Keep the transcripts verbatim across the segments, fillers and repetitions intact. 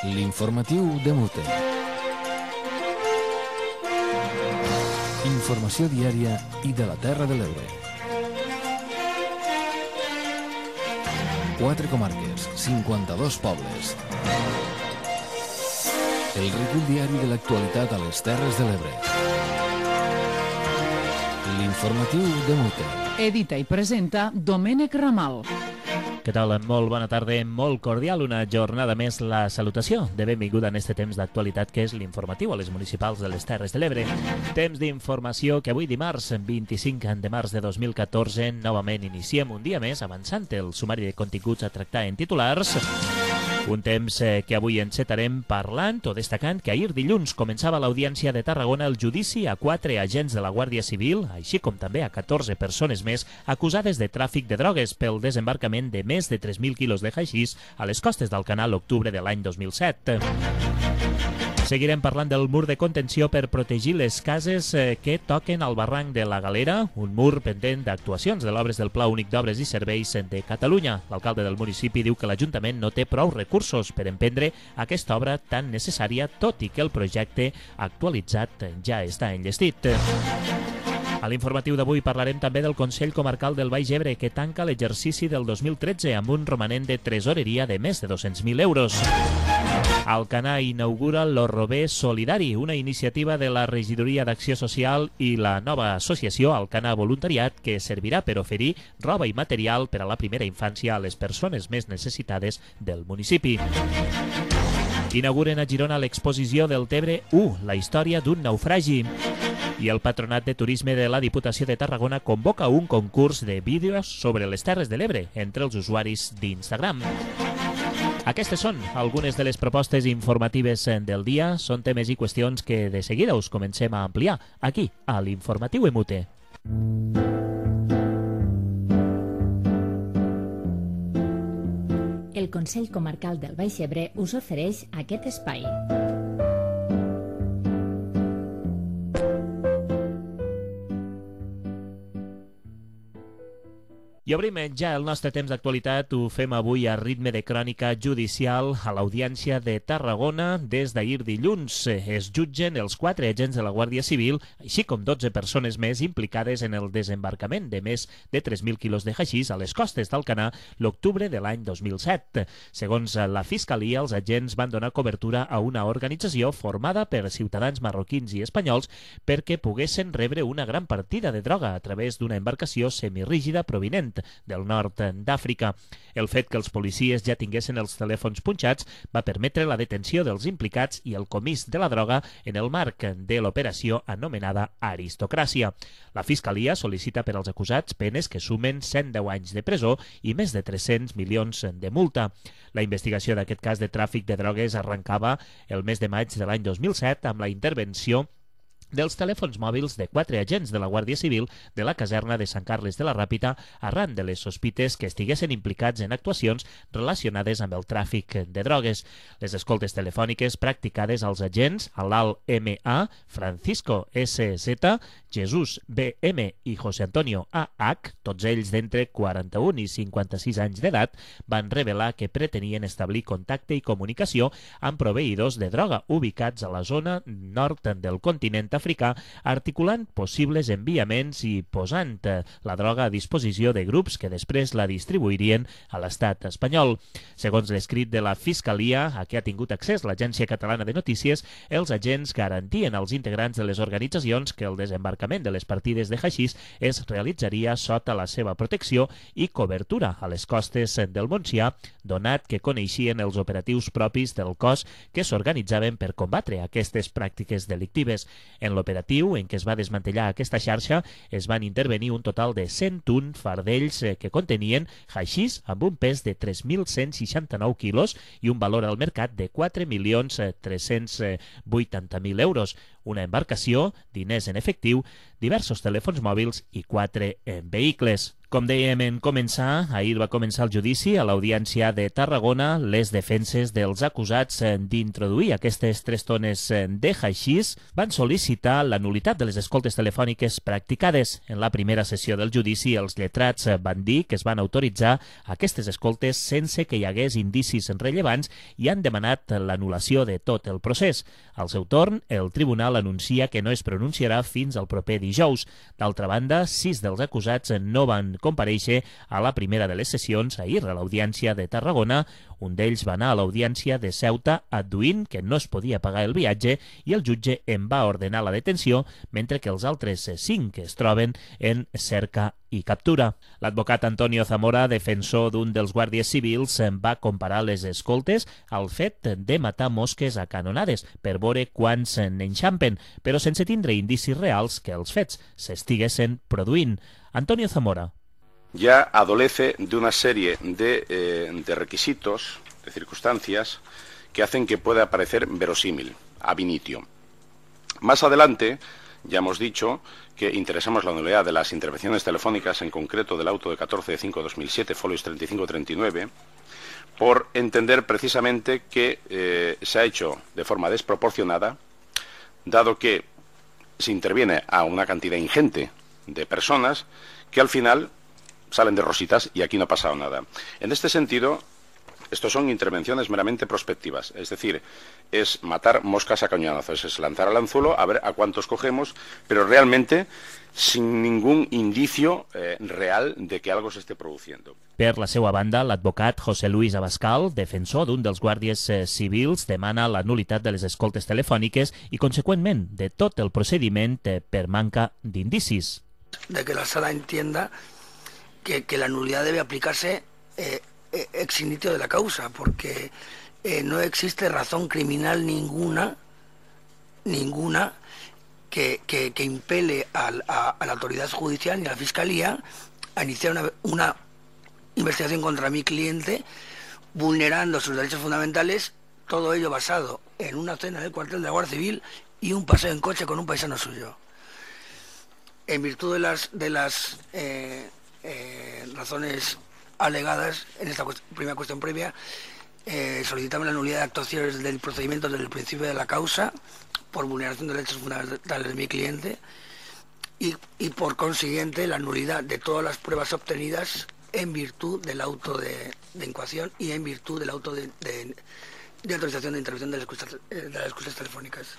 L'informatiu de Mute. Informació diària i de la Terra de l'Ebre. Quatre comarques, cinquanta-dos pobles. El recull diari de l'actualitat a les Terres de l'Ebre. L'informatiu de Mute. Edita i presenta Domènec Ramal. Què tal? Molt bona tarda, molt cordial. Una jornada més la salutació de benvinguda en este temps d'actualitat que és l'informatiu a les municipals de les Terres de l'Ebre. Temps d'informació que avui dimarts, vint-i-cinc de març de dos mil catorze, novament iniciem un dia més avançant el sumari de continguts a tractar en titulars. Un temps que avui encetarem parlant o destacant que ahir dilluns començava a l'Audiència de Tarragona el judici a quatre agents de la Guàrdia Civil, així com també a catorze persones més acusades de tràfic de drogues pel desembarcament de més de tres mil quilos de haixís a les costes d'Alcanar l'octubre de l'any dos mil set. Seguirem parlant del mur de contenció per protegir les cases que toquen al barranc de la Galera, un mur pendent d'actuacions de l'obres del Pla Únic d'Obres i Serveis de Catalunya. L'alcalde del municipi diu que l'Ajuntament no té prou recursos per emprendre aquesta obra tan necessària, tot i que el projecte actualitzat ja està enllestit. A l'informatiu d'avui parlarem també del Consell Comarcal del Baix Ebre, que tanca l'exercici del dos mil tretze amb un romanent de tresoreria de més de dos-cents mil euros. Alcanar inaugura l'Orrobé Solidari, una iniciativa de la Regidoria d'Acció Social i la nova associació Alcanar Voluntariat, que servirà per oferir roba i material per a la primera infància a les persones més necessitades del municipi. Inauguren a Girona l'exposició del Tebre u, la història d'un naufragi. I el Patronat de Turisme de la Diputació de Tarragona convoca un concurs de vídeos sobre les Terres de l'Ebre entre els usuaris d'Instagram. Aquestes són algunes de les propostes informatives del dia. Són temes i qüestions que de seguida us comencem a ampliar aquí, a l'Informatiu Emute. El Consell Comarcal del Baix Ebre us ofereix aquest espai. I obrim ja el nostre temps d'actualitat. Ho fem avui a ritme de crònica judicial a l'Audiència de Tarragona. Des d'ahir dilluns es jutgen els quatre agents de la Guàrdia Civil, així com dotze persones més implicades en el desembarcament de més de tres mil quilos de haixís a les costes d'Alcanar l'octubre de l'any dos mil set. Segons la Fiscalia, els agents van donar cobertura a una organització formada per ciutadans marroquins i espanyols perquè poguessin rebre una gran partida de droga a través d'una embarcació semirígida provinent del nord d'Àfrica. El fet que els policies ja tinguessin els telèfons punxats va permetre la detenció dels implicats i el comís de la droga en el marc de l'operació anomenada Aristocràcia. La Fiscalia sol·licita per als acusats penes que sumen cent deu anys de presó i més de tres-cents milions de multa. La investigació d'aquest cas de tràfic de drogues arrencava el mes de maig de l'any dos mil set amb la intervenció dels telèfons mòbils de quatre agents de la Guàrdia Civil de la caserna de Sant Carles de la Ràpita arran de les sospites que estiguessin implicats en actuacions relacionades amb el tràfic de drogues. Les escoltes telefòniques practicades als agents Alal M A, Francisco S Z, Jesús B M i José Antonio A H, tots ells d'entre quaranta-un i cinquanta-sis anys d'edat, van revelar que pretenien establir contacte i comunicació amb proveïdors de droga ubicats a la zona nord del continent africà, articulant possibles enviaments i posant la droga a disposició de grups que després la distribuirien a l'estat espanyol. Segons l'escrit de la Fiscalia, a què ha tingut accés l'Agència Catalana de Notícies, els agents garantien als integrants de les organitzacions que el desembarcament de les partides de haixís es realitzaria sota la seva protecció i cobertura a les costes del Montsià, donat que coneixien els operatius propis del cos que s'organitzaven per combatre aquestes pràctiques delictives. En l'operatiu en què es va desmantellar aquesta xarxa es van intervenir un total de cent un fardells que contenien haixís amb un pes de tres mil cent seixanta-nou quilos i un valor al mercat de quatre milions tres-cents vuitanta mil euros, una embarcació, diners en efectiu, diversos telèfons mòbils i quatre vehicles. Com dèiem en començar, ahir va començar el judici a l'Audiència de Tarragona. Les defenses dels acusats d'introduir aquestes tres tones de haixís van sol·licitar la nul·litat de les escoltes telefòniques practicades. En la primera sessió del judici, els lletrats van dir que es van autoritzar aquestes escoltes sense que hi hagués indicis rellevants i han demanat l'anul·lació de tot el procés. Al seu torn, el tribunal anuncia que no es pronunciarà fins al proper dijous. D'altra banda, sis dels acusats no van comparèixer a la primera de les sessions ahir a l'Audiència de Tarragona. Un d'ells va anar a l'Audiència de Ceuta adduint que no es podia pagar el viatge i el jutge en va ordenar la detenció, mentre que els altres cinc es troben en cerca i captura. L'advocat Antonio Zamora, defensor d'un dels guàrdies civils, va comparar les escoltes al fet de matar mosques a canonades per veure quants n'enxampen, però sense tindre indicis reals que els fets s'estiguessin produint. Antonio Zamora. Ya adolece de una serie de, eh, de requisitos, de circunstancias, que hacen que pueda parecer verosímil, ab initio. Más adelante, ya hemos dicho que interesamos la nulidad de las intervenciones telefónicas, en concreto del auto de catorce de cinco de dos mil siete, folios treinta y cinco treinta y nueve, por entender precisamente que eh, se ha hecho de forma desproporcionada, dado que se interviene a una cantidad ingente de personas que al final salen de rositas y aquí no ha pasado nada. En este sentido, estos son intervenciones meramente prospectivas, es decir, es matar moscas a cañonazos, es lanzar al anzuelo a ver a cuántos cogemos, pero realmente sin ningún indicio eh, real de que algo se esté produciendo. Per la seva banda, l'advocat José Luis Abascal, defensor d'un dels guàrdies eh, civils, demana la nul·litat de les escoltes telefòniques i, conseqüentment, de tot el procediment eh, per manca d'indicis. De que la sala entienda que, que la nulidad debe aplicarse eh, ex inicio de la causa, porque eh, no existe razón criminal ninguna, ninguna que, que, que impele a, a, a la autoridad judicial ni a la fiscalía a iniciar una, una investigación contra mi cliente vulnerando sus derechos fundamentales, todo ello basado en una cena del cuartel de la Guardia Civil y un paseo en coche con un paisano suyo. En virtud de las, de las eh, eh, razones alegadas en esta cuest primera cuestión previa, eh, solicitamos la nulidad de actuaciones del procedimiento desde el principio de la causa por vulneración de derechos fundamentales de mi cliente y, y por consiguiente la nulidad de todas las pruebas obtenidas en virtud del auto de, de incoación y en virtud del auto de, de, de autorización de intervención de las escuchas, de las escuchas telefòniques.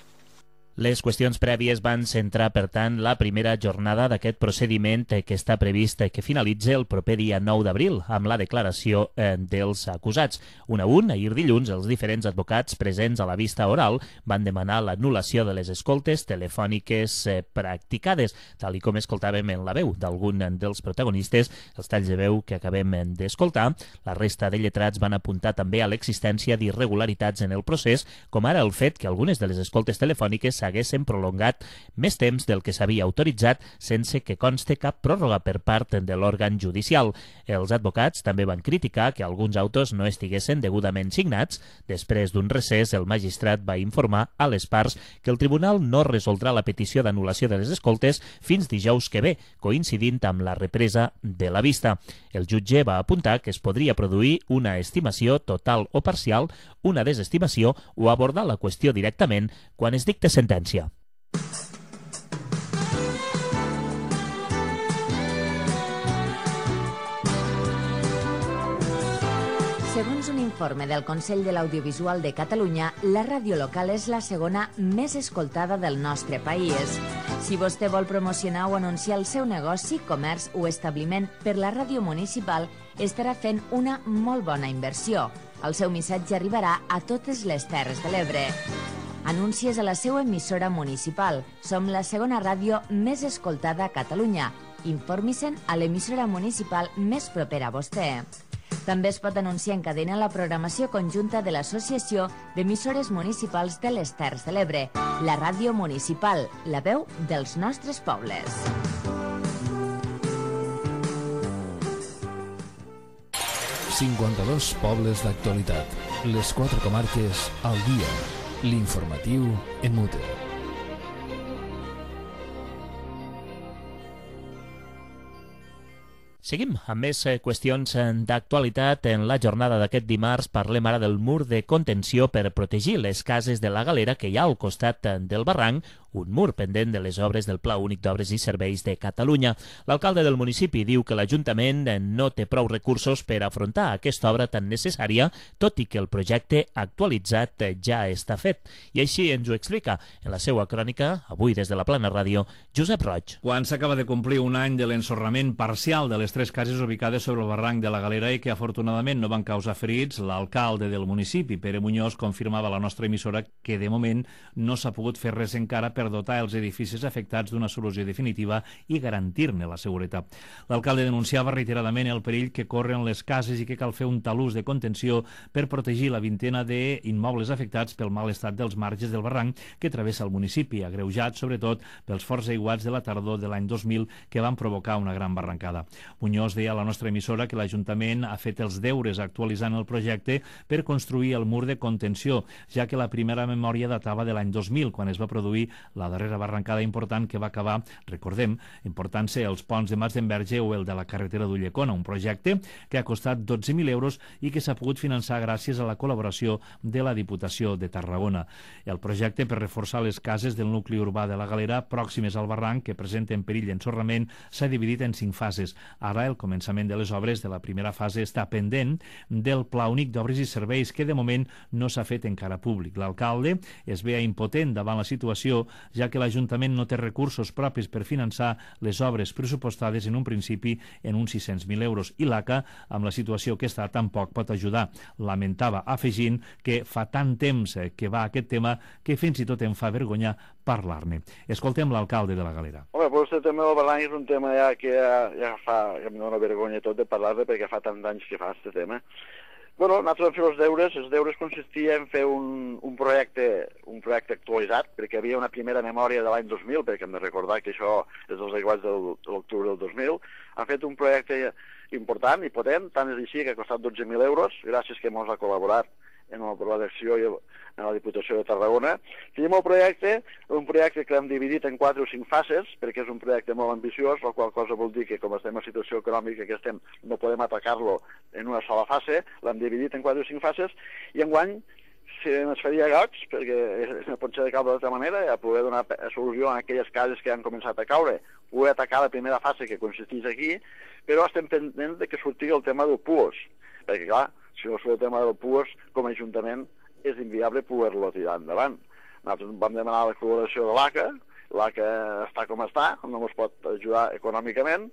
Les qüestions prèvies van centrar, per tant, la primera jornada d'aquest procediment que està previst que finalitzi el proper dia nou d'abril amb la declaració eh, dels acusats. Un a un, ahir dilluns, els diferents advocats presents a la vista oral van demanar l'anul·lació de les escoltes telefòniques eh, practicades, tal i com escoltàvem en la veu d'algun dels protagonistes, els talls de veu que acabem d'escoltar. La resta de lletrats van apuntar també a l'existència d'irregularitats en el procés, com ara el fet que algunes de les escoltes telefòniques s'haguessin prolongat més temps del que s'havia autoritzat sense que conste cap pròrroga per part de l'òrgan judicial. Els advocats també van criticar que alguns autos no estiguessin degudament signats. Després d'un recés, el magistrat va informar a les parts que el tribunal no resoldrà la petició d'anul·lació de les escoltes fins dijous que ve, coincidint amb la represa de la vista. El jutge va apuntar que es podria produir una estimació total o parcial, una desestimació o abordar la qüestió directament quan es dicte sentència. Segons un informe del Consell de l'Audiovisual de Catalunya, la ràdio local és la segona més escoltada del nostre país. Si vostè vol promocionar o anunciar el seu negoci, comerç o establiment per la ràdio municipal, estarà fent una molt bona inversió. El seu missatge arribarà a totes les Terres de l'Ebre. Anuncies a la seva emissora municipal. Som la segona ràdio més escoltada a Catalunya. Informi-se'n a l'emissora municipal més propera a vostè. També es pot anunciar en cadena la programació conjunta de l'Associació d'Emissores Municipals de les Terres de l'Ebre, la ràdio municipal, la veu dels nostres pobles. cinquanta-dos pobles d'actualitat. Les quatre comarques al dia. L'informatiu en mute. Seguim amb més qüestions d'actualitat. En la jornada d'aquest dimarts parlem ara del mur de contenció per protegir les cases de la Galera que hi ha al costat del barranc, un mur pendent de les obres del Pla Únic d'Obres i Serveis de Catalunya. L'alcalde del municipi diu que l'Ajuntament no té prou recursos per afrontar aquesta obra tan necessària, tot i que el projecte actualitzat ja està fet. I així ens ho explica en la seva crònica, avui des de la Plana Ràdio, Josep Roig. Quan s'acaba de complir un any de l'ensorrament parcial de les tres cases ubicades sobre el barranc de la Galera i que afortunadament no van causar ferits, l'alcalde del municipi, Pere Muñoz, confirmava a la nostra emissora que de moment no s'ha pogut fer res encara per dotar els edificis afectats d'una solució definitiva i garantir-ne la seguretat. L'alcalde denunciava reiteradament el perill que corren les cases i que cal fer un talús de contenció per protegir la vintena d'immobles afectats pel mal estat dels marges del barranc que travessa el municipi, agreujat sobretot pels forts aiguats de la tardor de l'any dos mil que van provocar una gran barrancada. Muñoz deia a la nostra emissora que l'Ajuntament ha fet els deures actualitzant el projecte per construir el mur de contenció, ja que la primera memòria datava de l'any dos mil, quan es va produir la darrera barrancada important que va acabar, recordem, important-se els ponts de Mas d'Enverge o el de la carretera d'Ullecona, un projecte que ha costat dotze mil euros i que s'ha pogut finançar gràcies a la col·laboració de la Diputació de Tarragona. El projecte per reforçar les cases del nucli urbà de la Galera pròximes al barranc que presenten perill d'ensorrament s'ha dividit en cinc fases. Ara el començament de les obres de la primera fase està pendent del Pla Únic d'Obres i Serveis que de moment no s'ha fet encara públic. L'alcalde es veia impotent davant la situació ja que l'Ajuntament no té recursos propis per finançar les obres pressupostades en un principi en uns sis-cents mil euros i l'A C A, amb la situació que està, tampoc pot ajudar. Lamentava, afegint que fa tant temps que va aquest tema que fins i tot em fa vergonya parlar-ne. Escoltem l'alcalde de la Galera. Home, pues el tema del barranc és un tema ja que ja, ja fa, ja em dóna vergonya tot de parlar-ne perquè fa tant d'anys que fa aquest tema. Bueno, nosaltres vam fer els deures. Els deures consistia en fer un, un, projecte, un projecte actualitzat, perquè hi havia una primera memòria de l'any dos mil, perquè hem de recordar que això és dels aiguats de l'octubre del dos mil. Han fet un projecte important i potent, tant és així que ha costat dotze mil euros, gràcies que ens ha col·laborat en la producció i en la Diputació de Tarragona. Tenim el projecte, un projecte que l'hem dividit en quatre o cinc fases, perquè és un projecte molt ambiciós, la qual cosa vol dir que com estem en situació econòmica que estem, no podem atacar-lo en una sola fase, l'hem dividit en quatre o cinc fases, i enguany si ens faria goig, perquè no pot ser de cap d'altra manera, a poder donar solució a aquelles cases que han començat a caure, poder atacar la primera fase que consisteix aquí, però estem pendents de que surti el tema del P U O S, perquè clar, si no surt el tema del P U O S, com a Ajuntament és inviable poder-lo tirar endavant. Nosaltres vam demanar la col·laboració de l'A C A, l'A C A està com està, no ens pot ajudar econòmicament,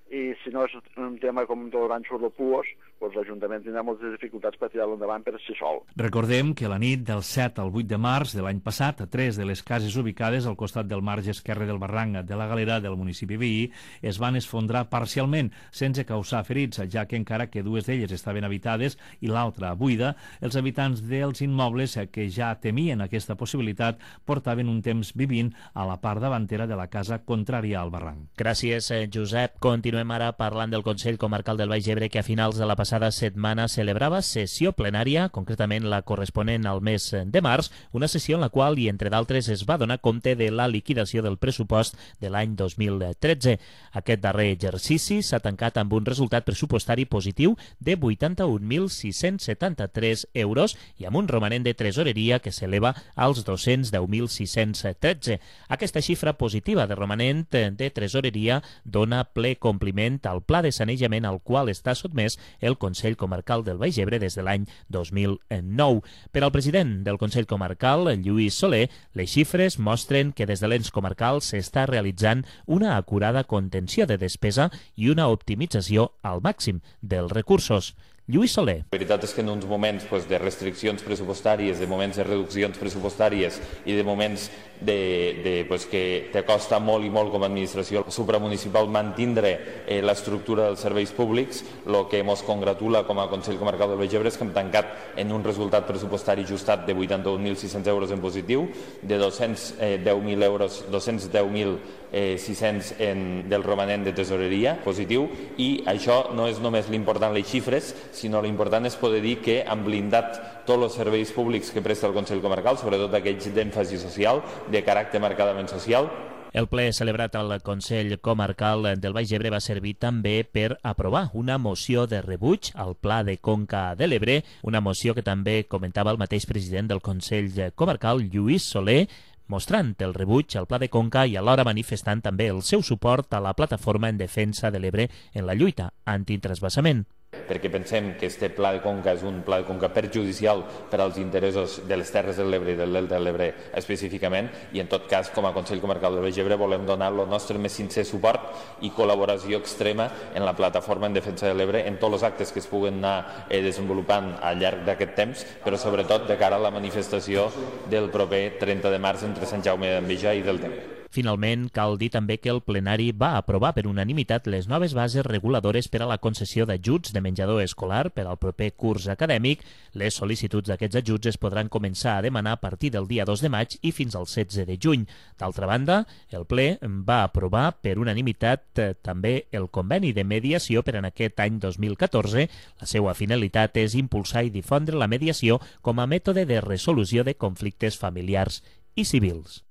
i si no és un tema com tot l'any surt el P U O S, doncs l'Ajuntament tindrà moltes dificultats per tirar-lo endavant per si sol. Recordem que la nit del set al vuit de març de l'any passat, a tres de les cases ubicades al costat del marge esquerre del barranc de la Galera del municipi veí es van esfondrar parcialment, sense causar ferits, ja que encara que dues d'elles estaven habitades i l'altra buida, els habitants dels immobles que ja temien aquesta possibilitat portaven un temps vivint a la part davantera de la casa contrària al barranc. Gràcies, Josep. Continuem ara parlant del Consell Comarcal del Baix Ebre, que a finals de la passada setmana celebrava sessió plenària, concretament la corresponent al mes de març, una sessió en la qual, i entre d'altres, es va donar compte de la liquidació del pressupost de l'any dos mil tretze. Aquest darrer exercici s'ha tancat amb un resultat pressupostari positiu de vuitanta-un mil sis-cents setanta-tres euros i amb un romanent de tresoreria que s'eleva als dos-cents deu mil sis-cents tretze. Aquesta xifra positiva de romanent de tresoreria dona ple compliment al pla de sanejament al qual està sotmès el Consell Comarcal del Baix Ebre des de l'any dos mil nou. Per al president del Consell Comarcal, Lluís Soler, les xifres mostren que des de l'ens comarcal s'està realitzant una acurada contenció de despesa i una optimització al màxim dels recursos. Lluís Soler. La veritat és que en uns moments pues, de restriccions pressupostàries, de moments de reduccions pressupostàries i de moments de, de, pues, que te costa molt i molt com a administració supramunicipal mantindre eh, l'estructura dels serveis públics, el que ens congratula com a Consell Comarcal del Baix Ebre és que hem tancat en un resultat pressupostari ajustat de vuitanta-un mil sis-cents euros en positiu, de dos-cents deu mil euros, dos-cents deu mil sis-cents en, del romanent de tesoreria positiu, i això no és només l'important les xifres, sinó l'important és poder dir que han blindat tots els serveis públics que presta el Consell Comarcal, sobretot aquells d'èmfasi social, de caràcter marcadament social, El ple celebrat al Consell Comarcal del Baix Ebre va servir també per aprovar una moció de rebuig al Pla de Conca de l'Ebre, una moció que també comentava el mateix president del Consell Comarcal, Lluís Soler, mostrant el rebuig al Pla de Conca i alhora manifestant també el seu suport a la plataforma en defensa de l'Ebre en la lluita antitransvasament. Perquè pensem que aquest pla de conca és un pla de conca perjudicial per als interessos de les Terres de l'Ebre i del Delta de l'Ebre específicament, i en tot cas, com a Consell Comarcal del Baix Ebre, volem donar el nostre més sincer suport i col·laboració extrema en la plataforma en defensa de l'Ebre, en tots els actes que es puguen anar eh, desenvolupant al llarg d'aquest temps, però sobretot de cara a la manifestació del proper trenta de març entre Sant Jaume d'Enveja i del Ter. Finalment, cal dir també que el plenari va aprovar per unanimitat les noves bases reguladores per a la concessió d'ajuts de menjador escolar per al proper curs acadèmic. Les sol·licituds d'aquests ajuts es podran començar a demanar a partir del dia dos de maig i fins al setze de juny. D'altra banda, el ple va aprovar per unanimitat eh, també el conveni de mediació per en aquest any dos mil catorze. La seva finalitat és impulsar i difondre la mediació com a mètode de resolució de conflictes familiars i civils.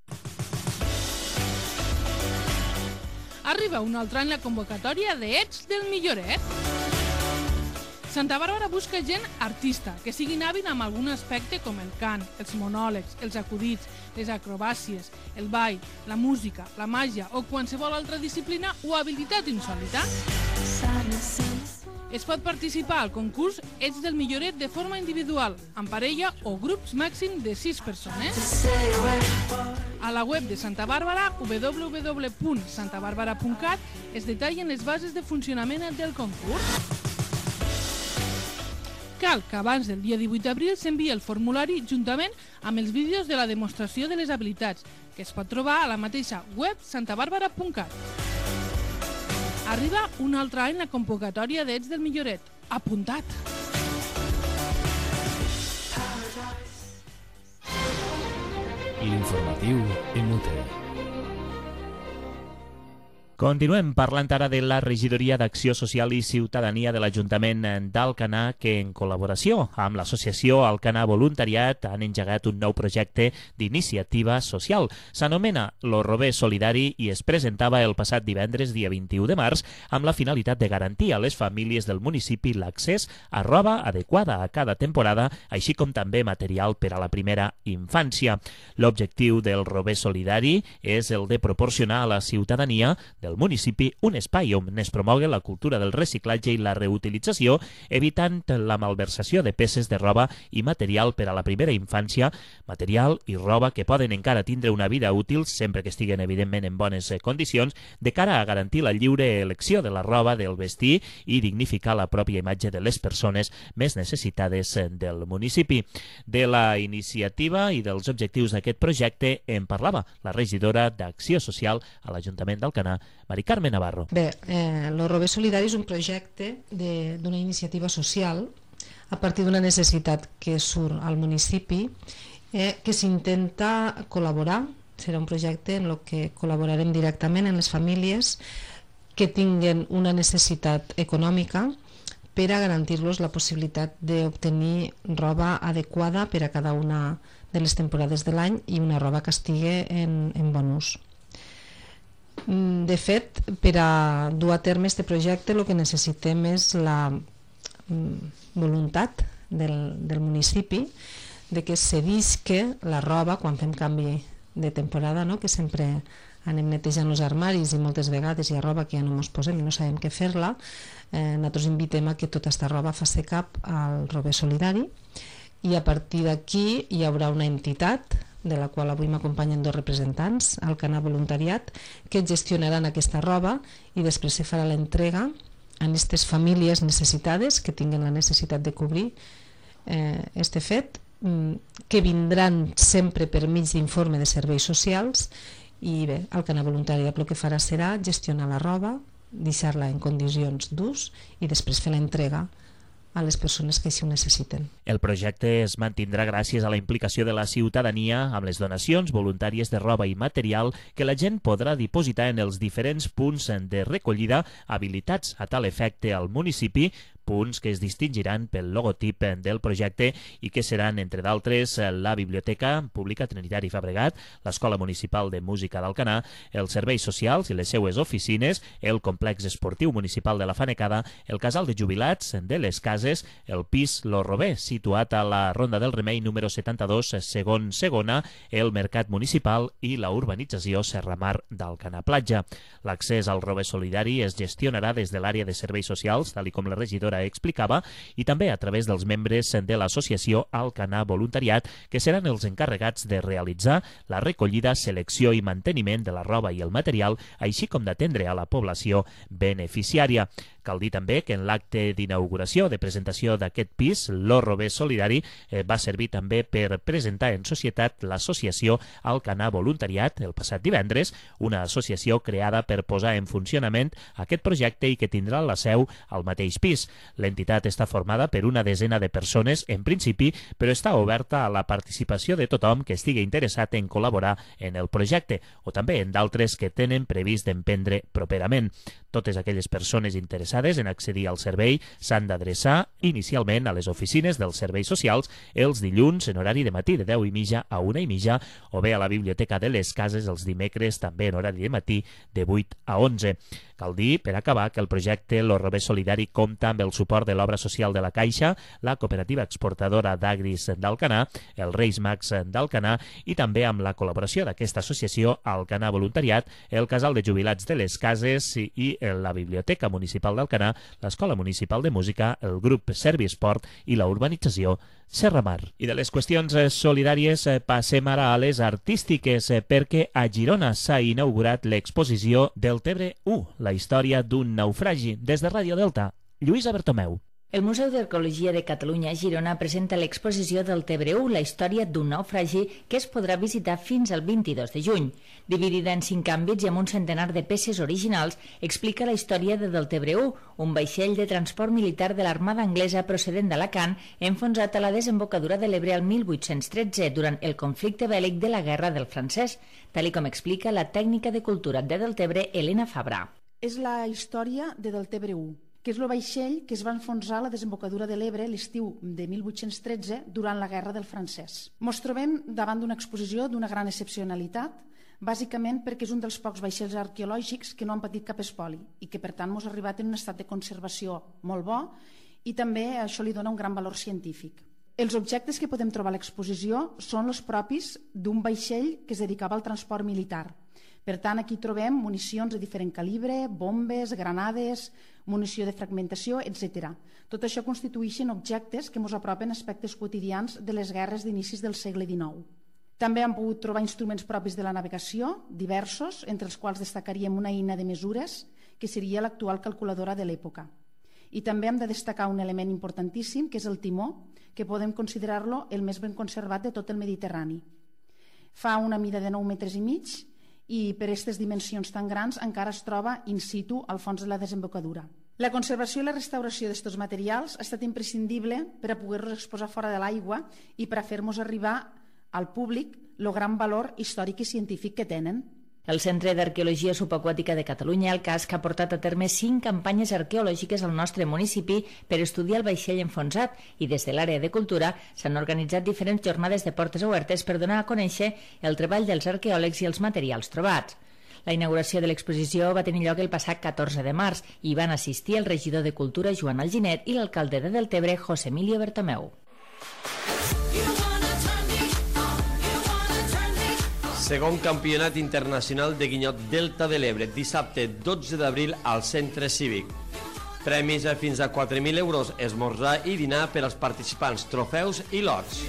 Arriba un altre any la convocatòria de Ets del Milloret. Santa Bàrbara busca gent artista, que siguin hàbil amb algun aspecte com el cant, els monòlegs, els acudits, les acrobàcies, el ball, la música, la màgia o qualsevol altra disciplina o habilitat insòlita. Es pot participar al concurs Ets del Milloret de forma individual, en parella o grups màxim de sis persones. A la web de Santa Bàrbara, w w w punt santa bàrbara punt cat, es detallen les bases de funcionament del concurs. Cal que abans del dia divuit d'abril s'enviï el formulari juntament amb els vídeos de la demostració de les habilitats, que es pot trobar a la mateixa web santa bàrbara punt cat. Arriba un altre any la convocatòria d'Ets del Milloret. Apuntat! L'informatiu Emute. Continuem parlant ara de la Regidoria d'Acció Social i Ciutadania de l'Ajuntament d'Alcanar, que en col·laboració amb l'associació Alcanar Voluntariat han engegat un nou projecte d'iniciativa social. S'anomena Lo Robé Solidari i es presentava el passat divendres, dia vint-i-u de març, amb la finalitat de garantir a les famílies del municipi l'accés a roba adequada a cada temporada, així com també material per a la primera infància. L'objectiu del Robé Solidari és el de proporcionar a la ciutadania del municipi un espai on es promogui la cultura del reciclatge i la reutilització, evitant la malversació de peces de roba i material per a la primera infància, material i roba que poden encara tindre una vida útil sempre que estiguen evidentment en bones condicions, de cara a garantir la lliure elecció de la roba, del vestir i dignificar la pròpia imatge de les persones més necessitades del municipi. De la iniciativa i dels objectius d'aquest projecte en parlava la regidora d'Acció Social a l'Ajuntament d'Alcanar, Mari Carme Navarro. Bé, eh, Lo Robé Solidari és un projecte d'una iniciativa social a partir d'una necessitat que surt al municipi, eh, que s'intenta col·laborar. Serà un projecte en el que col·laborarem directament en les famílies que tinguen una necessitat econòmica per a garantir-los la possibilitat d'obtenir roba adequada per a cada una de les temporades de l'any i una roba que estigui en, en bon ús. De fet, per a dur a terme aquest projecte el que necessitem és la voluntat del, del municipi de que cedisca la roba quan fem canvi de temporada, no? Que sempre anem netejant els armaris i moltes vegades hi ha roba que ja no ens posem i no sabem què fer-la. Eh, nosaltres invitem a que tota aquesta roba faci cap al Robé Solidari i a partir d'aquí hi haurà una entitat de la qual avui m'acompanyen dos representants, Alcanar Voluntariat, que gestionaran aquesta roba i després se farà l'entrega a aquestes famílies necessitades que tinguen la necessitat de cobrir eh, este fet, que vindran sempre per mig d'informe de serveis socials i bé, Alcanar Voluntariat el que farà serà gestionar la roba, deixar-la en condicions d'ús i després fer l'entrega a les persones que així ho necessiten. El projecte es mantindrà gràcies a la implicació de la ciutadania amb les donacions voluntàries de roba i material que la gent podrà dipositar en els diferents punts de recollida habilitats a tal efecte al municipi punts que es distingiran pel logotip del projecte i que seran, entre d'altres, la Biblioteca Pública Trinitari Fabregat, l'Escola Municipal de Música d'Alcanar, els serveis socials i les seues oficines, el complex esportiu municipal de la Fanecada, el casal de jubilats de les Cases, el pis Lo Robé, situat a la Ronda del Remei número setanta-dos, segon segona, el mercat municipal i la urbanització Serramar d'Alcanar Platja. L'accés al Robé Solidari es gestionarà des de l'àrea de serveis socials, tal com la regidora explicava, i també a través dels membres de l'associació Alcanar Voluntariat, que seran els encarregats de realitzar la recollida, selecció i manteniment de la roba i el material, així com d'atendre a la població beneficiària. Cal dir també que en l'acte d'inauguració de presentació d'aquest pis, Lo Robé Solidari eh, va servir també per presentar en societat l'associació Alcanar Voluntariat el passat divendres, una associació creada per posar en funcionament aquest projecte i que tindrà la seu al mateix pis. L'entitat està formada per una desena de persones en principi, però està oberta a la participació de tothom que estigui interessat en col·laborar en el projecte o també en d'altres que tenen previst d'emprendre properament. Totes aquelles persones interessades en accedir al servei s'han d'adreçar inicialment a les oficines dels serveis socials els dilluns en horari de matí de deu i mitja a una i mitja o bé a la Biblioteca de les Cases els dimecres també en horari de matí de vuit a onze. Cal dir, per acabar, que el projecte Lo Robé Solidari compta amb el suport de l'Obra Social de la Caixa, la Cooperativa Exportadora d'Agris d'Alcanar, el Reis Mags d'Alcanar i també amb la col·laboració d'aquesta associació Alcanar Voluntariat, el Casal de Jubilats de les Cases i la Biblioteca Municipal d'Alcanar, l'Escola Municipal de Música, el grup Servisport i la urbanització Serramar. I de les qüestions solidàries passem ara a les artístiques, perquè a Girona s'ha inaugurat l'exposició del Tebre u, la història d'un naufragi. Des de Ràdio Delta, Lluïsa Bertomeu. El Museu d'Arqueologia de Catalunya a Girona presenta l'exposició del Tebre u, la història d'un naufragi, que es podrà visitar fins al vint-i-dos de juny. Dividida en cinc àmbits i amb un centenar de peces originals, explica la història de del Tebre u, un vaixell de transport militar de l'Armada Anglesa procedent d'Alacant, enfonsat a la desembocadura de l'Ebre al mil vuit-cents tretze durant el conflicte bèl·lic de la Guerra del Francès, tal com explica la tècnica de cultura de Deltebre, Helena Fabra. És la història de del Tebre u, que és el vaixell que es va enfonsar a la desembocadura de l'Ebre l'estiu de mil vuit-cents tretze durant la Guerra del Francès. Ens trobem davant d'una exposició d'una gran excepcionalitat, bàsicament perquè és un dels pocs vaixells arqueològics que no han patit cap espoli i que per tant ens ha arribat en un estat de conservació molt bo i també això li dona un gran valor científic. Els objectes que podem trobar a l'exposició són els propis d'un vaixell que es dedicava al transport militar. Per tant, aquí trobem municions de diferent calibre, bombes, granades, munició de fragmentació, etcètera. Tot això constitueixen objectes que ens apropen aspectes quotidians de les guerres d'inicis del segle dinou. També hem pogut trobar instruments propis de la navegació, diversos, entre els quals destacaríem una eina de mesures, que seria l'actual calculadora de l'època. I també hem de destacar un element importantíssim, que és el timó, que podem considerar-lo el més ben conservat de tot el Mediterrani. Fa una mida de nou metres i mig i per aquestes dimensions tan grans encara es troba in situ al fons de la desembocadura. La conservació i la restauració d'aquests materials ha estat imprescindible per a poder-los exposar fora de l'aigua i per a fer-nos arribar al públic el gran valor històric i científic que tenen. El Centre d'Arqueologia Subaquàtica de Catalunya, el C A S, que ha portat a terme cinc campanyes arqueològiques al nostre municipi per estudiar el vaixell enfonsat i des de l'àrea de cultura s'han organitzat diferents jornades de portes obertes per donar a conèixer el treball dels arqueòlegs i els materials trobats. La inauguració de l'exposició va tenir lloc el passat catorze de març i van assistir el regidor de Cultura Joan Alginet i l'alcalde de Deltebre José Emilio Bertomeu. Segon Campionat Internacional de Guinyot Delta de l'Ebre, dissabte dotze d'abril al Centre Cívic. Premis a fins a quatre mil euros, esmorzar i dinar per als participants, trofeus i lots.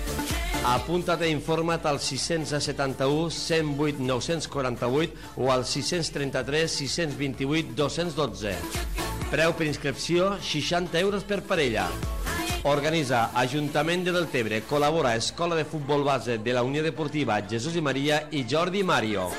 Apunta't i informa't al sis setanta-u, cent vuit, nou-cents quaranta-vuit o al sis trenta-tres, sis vint-i-vuit, dos-cents dotze. Preu per inscripció, seixanta euros per parella. Organitza Ajuntament de Deltebre, col·labora Escola de Futbol Base de la Unió Deportiva Jesús i Maria i Jordi Mario.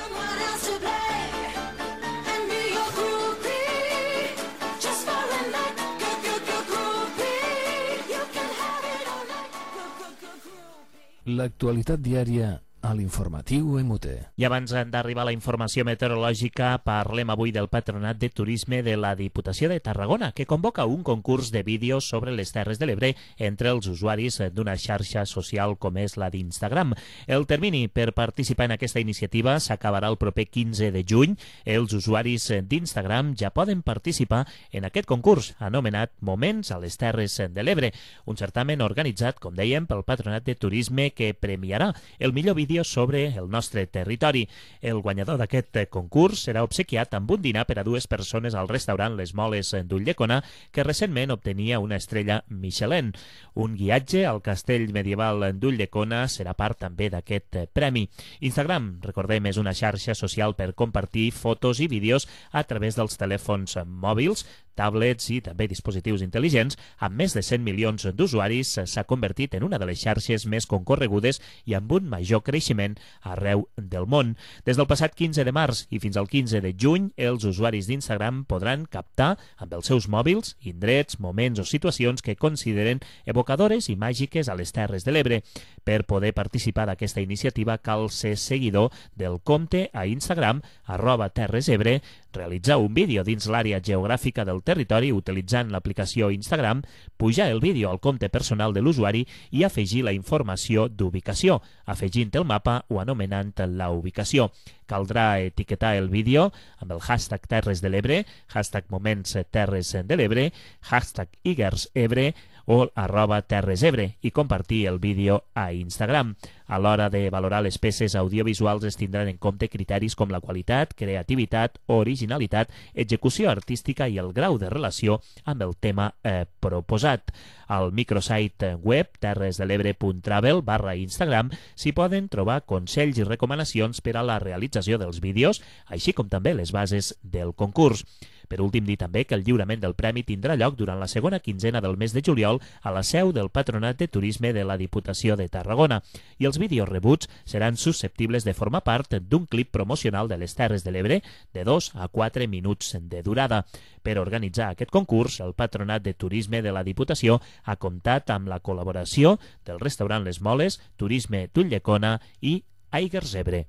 L'actualitat diària a l'informatiu M U T. I abans d'arribar a la informació meteorològica, parlem avui del Patronat de Turisme de la Diputació de Tarragona, que convoca un concurs de vídeos sobre les Terres de l'Ebre entre els usuaris d'una xarxa social com és la d'Instagram. El termini per participar en aquesta iniciativa s'acabarà el proper quinze de juny. Els usuaris d'Instagram ja poden participar en aquest concurs anomenat Moments a les Terres de l'Ebre, un certamen organitzat, com dèiem, pel Patronat de Turisme que premiarà el millor vídeo sobre el nostre territori. El guanyador d'aquest concurs serà obsequiat amb un dinar per a dues persones al restaurant Les Moles d'Ulldecona, que recentment obtenia una estrella Michelin. Un guiatge al castell medieval d'Ulldecona serà part també d'aquest premi. Instagram, recordem, és una xarxa social per compartir fotos i vídeos a través dels telèfons mòbils, tablets i també dispositius intel·ligents. Amb més de cent milions d'usuaris, s'ha convertit en una de les xarxes més concorregudes i amb un major creixement arreu del món. Des del passat quinze de març i fins al quinze de juny, els usuaris d'Instagram podran captar amb els seus mòbils indrets, moments o situacions que consideren evocadores i màgiques a les Terres de l'Ebre. Per poder participar d'aquesta iniciativa cal ser seguidor del compte a Instagram arroba terresebre, realitzar un vídeo dins l'àrea geogràfica del territori utilitzant l'aplicació Instagram, pujar el vídeo al compte personal de l'usuari i afegir la informació d'ubicació, afegint el mapa o anomenant la ubicació. Caldrà etiquetar el vídeo amb el hashtag Terres de l'Ebre, hashtag Moments Terres de l'Ebre, hashtag IgersEbre o arroba terresebre i compartir el vídeo a Instagram. A l'hora de valorar les peces audiovisuals es tindran en compte criteris com la qualitat, creativitat, originalitat, execució artística i el grau de relació amb el tema eh, proposat. Al microsite web terresdelebre punt travel barra Instagram s'hi poden trobar consells i recomanacions per a la realització dels vídeos, així com també les bases del concurs. Per últim, dir també que el lliurament del premi tindrà lloc durant la segona quinzena del mes de juliol a la seu del Patronat de Turisme de la Diputació de Tarragona i els vídeos rebuts seran susceptibles de formar part d'un clip promocional de les Terres de l'Ebre de dos a quatre minuts de durada. Per organitzar aquest concurs, el Patronat de Turisme de la Diputació ha comptat amb la col·laboració del restaurant Les Moles, Turisme d'Ulldecona i IgersEbre.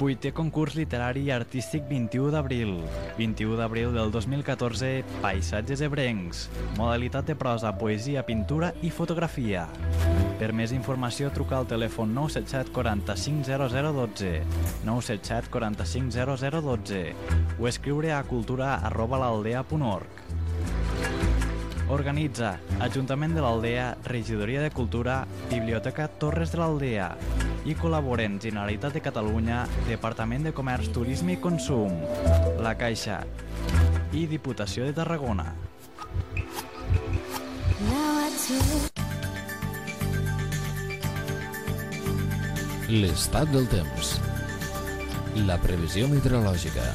Vuitè concurs literari i artístic vint-i-u d'abril. vint-i-u d'abril del dos mil catorze, Paisatges ebrencs. Modalitat de prosa, poesia, pintura i fotografia. Per més informació, truca al telèfon nou set set quaranta-cinc zero zero dotze, nou set set quaranta-cinc zero zero dotze o escriure a cultura arroba l'aldea punt org. Organitza Ajuntament de l'Aldea, Regidoria de Cultura, Biblioteca Torres de l'Aldea i col·laboren Generalitat de Catalunya, Departament de Comerç, Turisme i Consum, La Caixa i Diputació de Tarragona. L'estat del temps. La previsió meteorològica.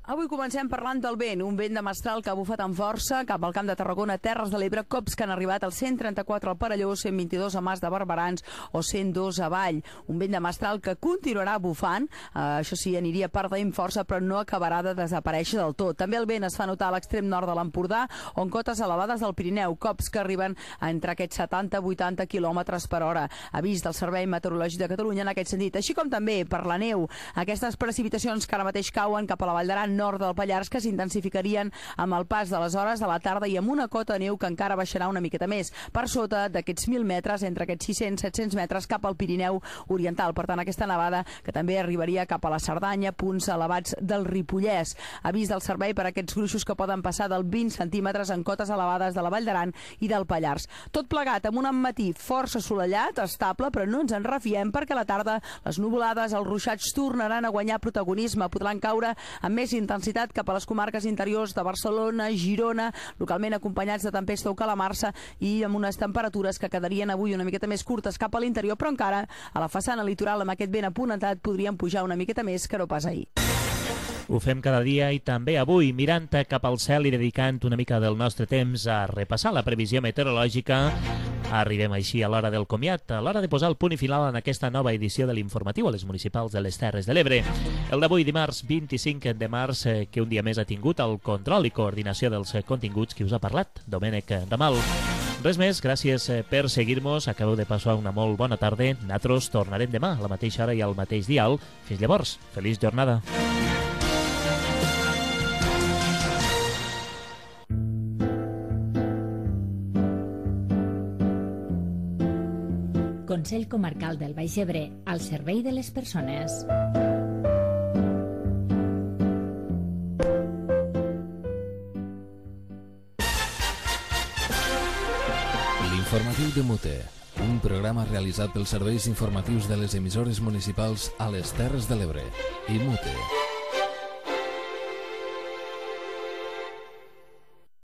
Avui comencem parlant del vent, un vent de mestral que ha bufat amb força cap al Camp de Tarragona, Terres de l'Ebre, cops que han arribat als cent trenta-quatre al Perelló, cent vint-i-dos a Mas de Barberans o cent dos a Vall. Un vent de mestral que continuarà bufant, eh, això sí, aniria perdent força, però no acabarà de desaparèixer del tot. També el vent es fa notar a l'extrem nord de l'Empordà, on cotes elevades del Pirineu, cops que arriben a entre aquests setanta a vuitanta quilòmetres per hora. Avís del Servei Meteorològic de Catalunya en aquest sentit, així com també per la neu. Aquestes precipitacions que ara mateix cauen cap a la Vall d'Aran, nord del Pallars, que s'intensificarien amb el pas de les hores de la tarda i amb una cota de neu que encara baixarà una miqueta més, per sota d'aquests mil metres, entre aquests sis-cents a set-cents metres cap al Pirineu Oriental. Per tant, aquesta nevada que també arribaria cap a la Cerdanya, punts elevats del Ripollès. Avís del servei per a aquests gruixos que poden passar del vint centímetres en cotes elevades de la Vall d'Aran i del Pallars. Tot plegat amb un matí força assolellat, estable, però no ens en refiem perquè a la tarda les nuvolades, els ruixats tornaran a guanyar protagonisme, podran caure amb més intensitat cap a les comarques interiors de Barcelona, Girona, localment acompanyats de tempesta o calamarsa i amb unes temperatures que quedarien avui una miqueta més curtes cap a l'interior, però encara a la façana litoral amb aquest vent apunentat podrien pujar una miqueta més que no pas ahir. Ho fem cada dia i també avui, mirant cap al cel i dedicant una mica del nostre temps a repassar la previsió meteorològica Arribem així a l'hora del comiat, a l'hora de posar el punt i final en aquesta nova edició de l'informatiu a les municipals de les Terres de l'Ebre. El d'avui, dimarts vint-i-cinc de març, que un dia més ha tingut el control i coordinació dels continguts que us ha parlat, Domènec Ramal. Res més, gràcies per seguir-nos, acabeu de passar una molt bona tarda. Nosaltres tornarem demà a la mateixa hora i al mateix dial. Fins llavors, feliç jornada. Consell Comarcal del Baix Ebre, al servei de les persones. L'informatiu de Mute, un programa realitzat pels serveis informatius de les emissores municipals a les Terres de l'Ebre i Mute.